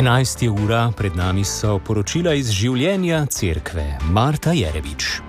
11. ura, pred nami so poročila iz življenja cerkve. Marta Jerevič.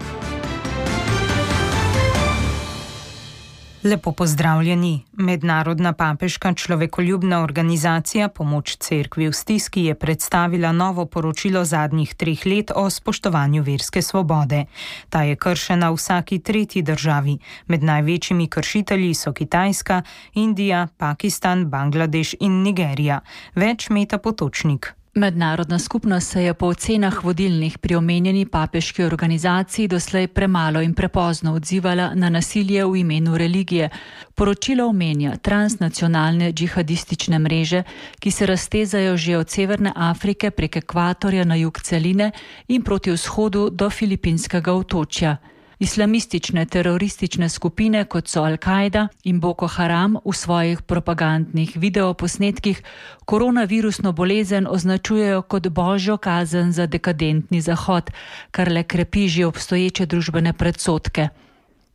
Lepo pozdravljeni. Mednarodna papeška človekoljubna organizacija Pomoč cerkvi v stiski je predstavila novo poročilo zadnjih 3 let o spoštovanju verske svobode. Ta je kršena v vsaki tretji državi. Med največjimi kršitelji so Kitajska, Indija, Pakistan, Bangladeš in Nigerija. Več Meta Potočnik. Mednarodna skupnost se je po ocenah vodilnih pri omenjeni papeški organizaciji doslej premalo in prepozno odzivala na nasilje v imenu religije. Poročilo omenja transnacionalne džihadistične mreže, ki se raztezajo že od Severne Afrike prek ekvatorja na jug celine in proti vzhodu do Filipinskega otočja. Islamistične teroristične skupine, kot so Al-Kaida in Boko Haram, v svojih propagandnih videoposnetkih koronavirusno bolezen označujejo kot božjo kazen za dekadentni Zahod, kar le krepi že obstoječe družbene predsodke.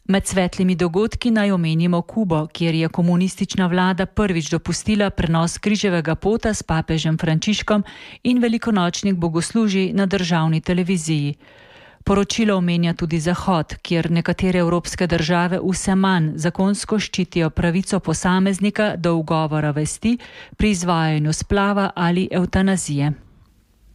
Med svetlimi dogodki naj omenimo Kubo, kjer je komunistična vlada prvič dopustila prenos križevega pota s papežem Frančiškom in velikonočnih bogoslužij na državni televiziji. Poročilo omenja tudi Zahod, kjer nekatere evropske države vse manj zakonsko ščitijo pravico posameznika do ugovora vesti pri izvajanju splava ali evtanazije.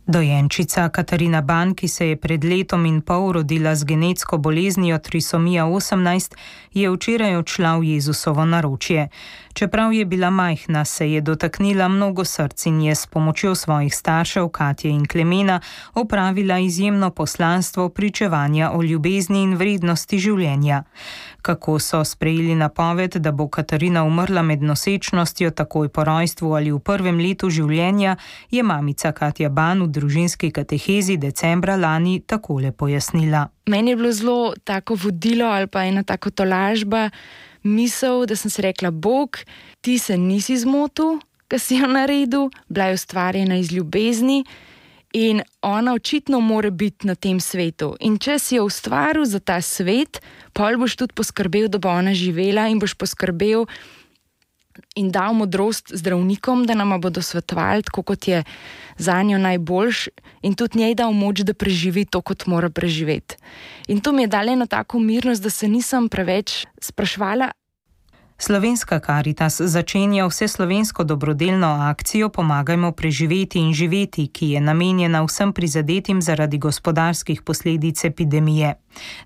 Dojenčica Katarina Ban, ki se je pred 1,5 leta rodila z genetsko boleznijo trisomija 18, je včeraj odšla v Jezusovo naročje. Čeprav je bila majhna, se je dotaknila mnogo src in je s pomočjo svojih staršev Katje in Klemena opravila izjemno poslanstvo pričevanja o ljubezni in vrednosti življenja. Kako so sprejeli napoved, da bo Katarina umrla med nosečnostjo takoj po rojstvu ali v 1. letu življenja, je mamica Katja Ban v družinski katehezi decembra lani takole pojasnila. Meni je bilo zelo tako vodilo ali pa ena tako tolažba, misel, da sem si rekla, Bog, ti se nisi zmotil, ko si jo naredil, bila je ustvarjena iz ljubezni in ona očitno mora biti na tem svetu. In če si jo ustvaril za ta svet, pol boš tudi poskrbel, da bo ona živela in boš poskrbel in dal modrost zdravnikom, da nama bodo svetovali, tako kot je za njo najboljš, in tudi njej dal moč, da preživi to, kot mora preživeti. In to mi je dalo eno tako mirnost, da se nisem preveč spraševala. Slovenska Karitas začenja vseslovensko dobrodelno akcijo Pomagajmo preživeti in živeti, ki je namenjena vsem prizadetim zaradi gospodarskih posledic epidemije.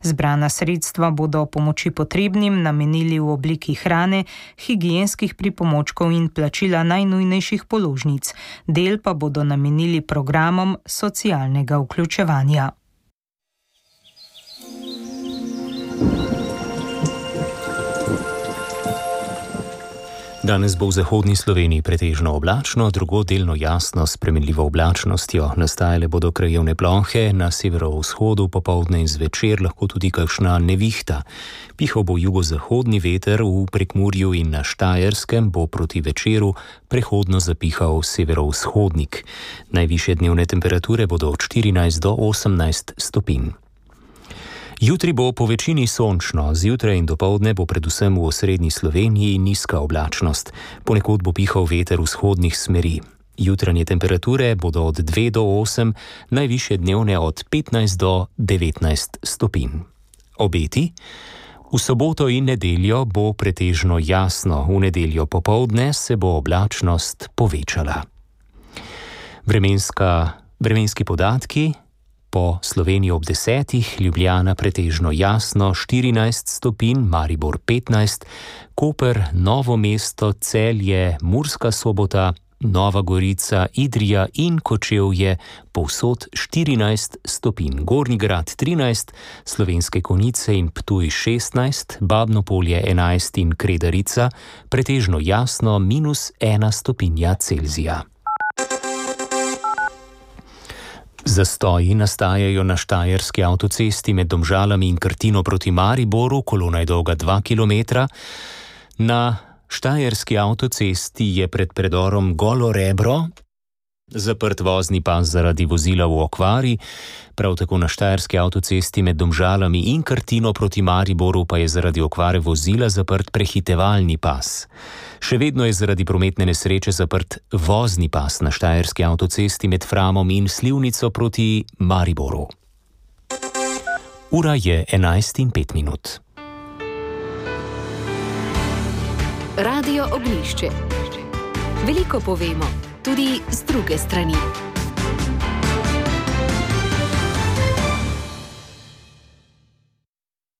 Zbrana sredstva bodo pomoči potrebnim namenili v obliki hrane, higienskih pripomočkov in plačila najnujnejših položnic. Del pa bodo namenili programom socialnega vključevanja. Danes bo v zahodni Sloveniji pretežno oblačno, drugod delno jasno s spremenljivo oblačnostjo. Nastajale bodo krajevne plohe, na severovzhodu popoldne in zvečer lahko tudi kakšna nevihta. Pihal bo jugozahodni veter, v Prekmurju in na Štajerskem bo proti večeru prehodno zapihal severovzhodnik. Najvišje dnevne temperature bodo od 14 do 18 stopinj. Jutri bo po večini sončno, zjutraj in dopoldne bo predvsem v osrednji Sloveniji nizka oblačnost. Ponekod bo pihal veter vzhodnih smeri. Jutranje temperature bodo od 2 do 8, najvišje dnevne od 15 do 19 stopinj. Obeti? V soboto in nedeljo bo pretežno jasno, v nedeljo popoldne se bo oblačnost povečala. Vremenski podatki. Po Sloveniji ob 10, Ljubljana pretežno jasno 14 stopinj, Maribor 15, Koper, Novo mesto, Celje, Murska Sobota, Nova Gorica, Idrija in Kočevje povsod 14 stopinj, Gornji Grad 13, Slovenske Konjice in Ptuj 16, Babno Polje 11 in Kredarica pretežno jasno -1 stopinja Celzija. Zastoji nastajajo na štajerski avtocesti med Domžalami in Krtino proti Mariboru, kolona je dolga 2 km. Na štajerski avtocesti je pred predorom Golo Rebro Zaprt vozni pas zaradi vozila v okvari, prav tako na štajerski avtocesti med Domžalami in Krtino proti Mariboru pa je zaradi okvare vozila zaprt prehitevalni pas. Še vedno je zaradi prometne nesreče zaprt vozni pas na štajerski avtocesti med Framom in Slivnico proti Mariboru. Ura je 11:05. Radio Oglišče. Veliko povemo, tudi z druge strani.